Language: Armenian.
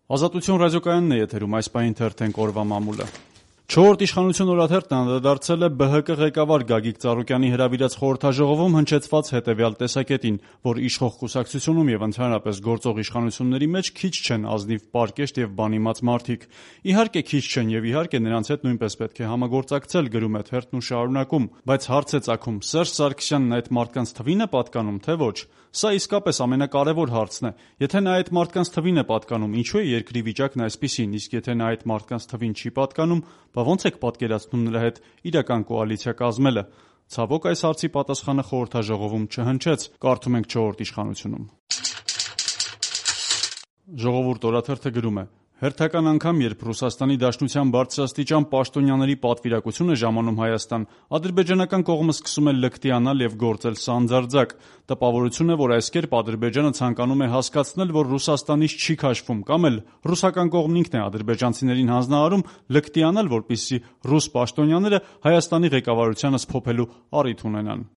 Ազատություն ռադիոկայանն է եթերում, այս պահին թերթենք օրվա մամուլը։ Չորրորդ իշխանություն օրաթերթն անդրադարձել է ԲՀԿ ղեկավար Գագիկ Ծառուկյանի հրավիրած խորհրդաժողովում հնչեցված հետևյալ տեսակետին, որ իշխող կուսակցությունում եւ ընդհանրապես գործող իշխանությունների մեջ քիչ չեն ազնիվ, պարկեշտ եւ բանիմաց մարդիկ։ Իհարկե քիչ չեն եւ իհարկե նրանց հետ նույնպես պետք է համագործակցել, գրում է թերթն ու շարունակում, բայց հարց է ծագում՝ Սերժ Սարգսյանն այդ մարդկանց թվին է պատկանում, թե ոչ։ Սա իսկապես ամենակարևոր հարցն է։ Եթե նա այդ մարդկանց թվին է պատկանում, ինչու է երկրի վիճակն այսպիսին, իսկ եթե նա այդ մարդկանց թվին չի պատկանում, ոնց եք պատկերացնում նրա հետ իրական կոալիցիա կազմելը։ Ցավոք, այս հարցի պատասխանը խորհրդաժողովում չհնչեց, կարդում ենք Չորրորդ իշխանությունում։ Ժողովուրդ օրաթերթը գրում է. հերթական անգամ, երբ Ռուսաստանի Դաշնության բարձրաստիճան պաշտոնյաների պատվիրակություն է ժամանում Հայաստան, ադրբեջանական կողմը սկսում է լկտիանալ եւ գործել սանձարձակ։ Տպավորություն է, որ այս կերպ Ադրբեջանը ցանկանում է հասկացնել, որ Ռուսաստանից չի քաշվում, կամ էլ ռուսական կողմն ինքն է ադրբեջանցիներին հանձնարարում լկտիանալ, որպեսզի ռուս պաշտոնյաները Հայաստանի ղեկավարությանը սփոփելու առիթ ունենան։